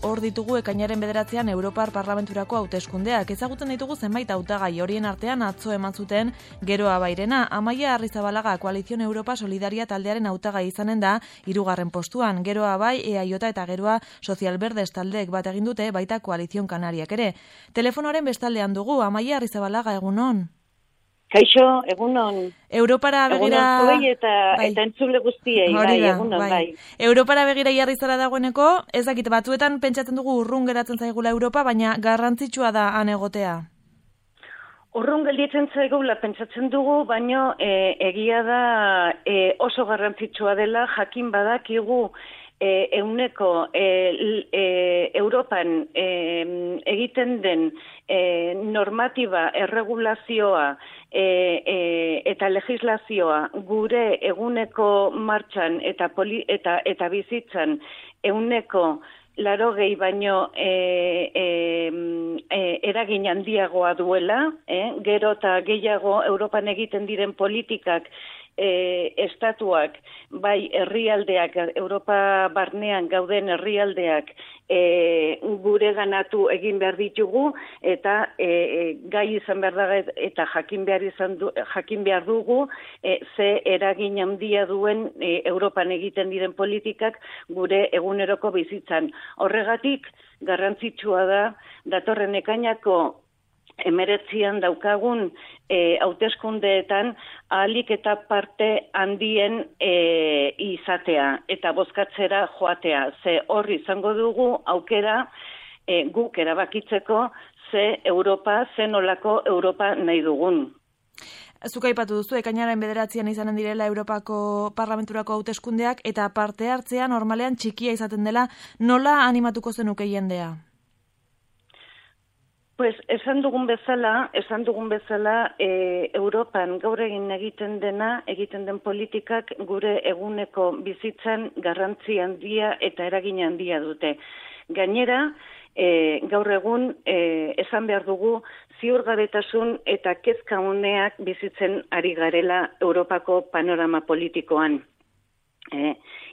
Hor ditugu ekainaren 9 Europar Parlamenturako hauteskundeak. Ezagutzen ditugu zenbait hautagai, horien artean atzo eman zuten Geroa Bairena. Amaia Arrizabalaga Koalizion Europa Solidaria taldearen hautagai izanen da 3. postuan. Geroa Bai, EAJ eta Geroa Sozial Berdes taldeek bat egin dute, baita Koalizion Kanariak ere. Telefonoaren bestaldean dugu, Amaia Arrizabalaga, egunon. Kaixo, egunon. Europara begira... Egunon zuei eta entzule guztiei, egunon, bai. Europara begira jarri zara dagoeneko, ez dakit batzuetan pentsatzen dugu urrun geratzen zaigula Europa, baina garrantzitsua da han egotea. Urrun gelditzen zaigula pentsatzen dugu, baina egia da oso garrantzitsua dela, jakin badakigu euneko Europan egiten den normatiba, erregulazioa eta legislazioa gure eguneko martxan eta bizitzan euneko 80 baino eragin handiagoa duela, gero eta gehiago Europan egiten diren politikak estatuak, bai herrialdeak, Europa barnean gauden herrialdeak gure ganatu egin behar ditugu eta gai izan behar da eta jakin behar dugu ze eragin handia duen Europan egiten diren politikak gure eguneroko bizitzan. Horregatik garrantzitsua da datorren ekainako 19 daukagun hauteskundeetan ahalik eta parte handien izatea eta bozkatzera joatea. Ze hor izango dugu aukera guk erabakitzeko ze nolako Europa nahi dugun. Zuk aipatu duzu, ekainaren 9 izanen direla Europako Parlamenturako hauteskundeak eta parte hartzea normalean txikia izaten dela, nola animatuko zenuke jendea? Pues esan dugun bezala, Europan gaur egiten den politikak gure eguneko bizitzan garrantzi handia eta eragin handia dute. Gainera, gaur egun esan behar dugu ziurgabetasun eta kezka uneak bizitzen ari garela Europako panorama politikoan.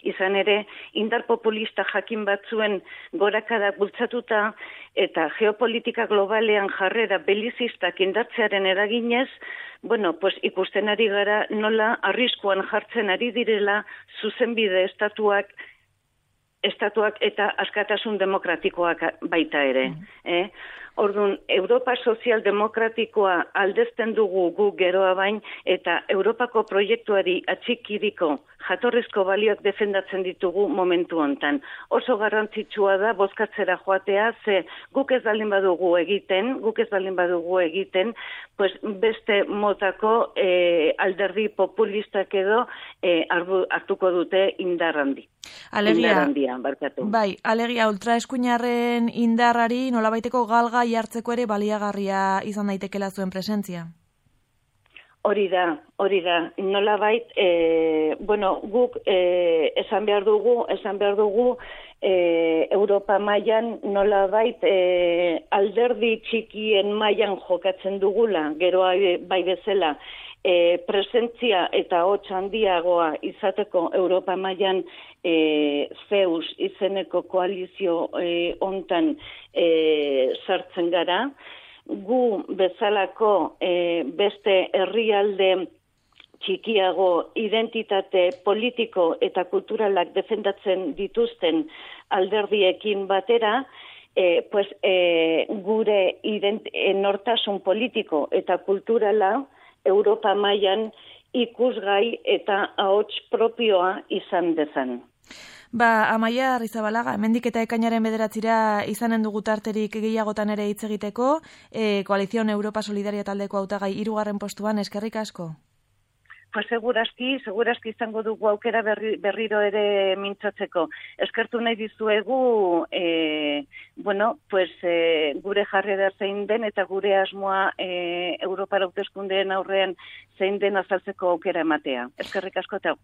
Izan ere, indar populista jakin batzuen gorakadak bultzatuta eta geopolitika globalean jarrera belizistak indartzearen eraginez, ikusten ari gara nola arriskuan jartzen ari direla zuzenbide estatuak eta askatasun demokratikoak baita ere. Orduan, Europa sozialdemokratikoa aldezten dugu gu Geroa Bain eta Europako proiektuari atxikiriko jatorrizko balioak defendatzen ditugu momentu hontan. Oso garrantzitsua da bozkatzera joatea, ze guk ez baldin badugu egiten, pues beste motako alderdi populistak edo hartuko dute indar handi. Alegia, ultraeskuinarren indarrari nolabaiteko galga jartzeko ere baliagarria izan daitekela zuen presentzia. Hori da. Nolabait, guk esan behar dugu Europa mailan nolabait alderdi txikien mailan jokatzen dugula, Geroa Bai bezala, presentzia eta hots handiagoa izateko Europa mailan Zeus izeneko koalizio hontan sartzen gara. Gu bezalako beste herrialde txikiago identitate politiko eta kulturalak defendatzen dituzten alderdiekin batera, gure nortasun politiko eta kulturala Europa mailan ikusgai eta ahots propioa izan dezan. Amaia Arrizabalaga, hemendik eta ekainaren 9 izanen dugu tarterik gehiagotan ere hitz egiteko, Koalizion Europa Solidaria taldeko hautagai 3. postuan, eskerrik asko. Pues segurazki izango dugu aukera berriro ere mintzatzeko. Eskertu nahi dizuegu, gure jarrera zein den eta gure asmoa Europara hauteskundeen aurrean zein den azaltzeko aukera ematea. Eskerrik asko eta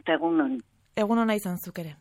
egunon. Egunon izan zuk ere.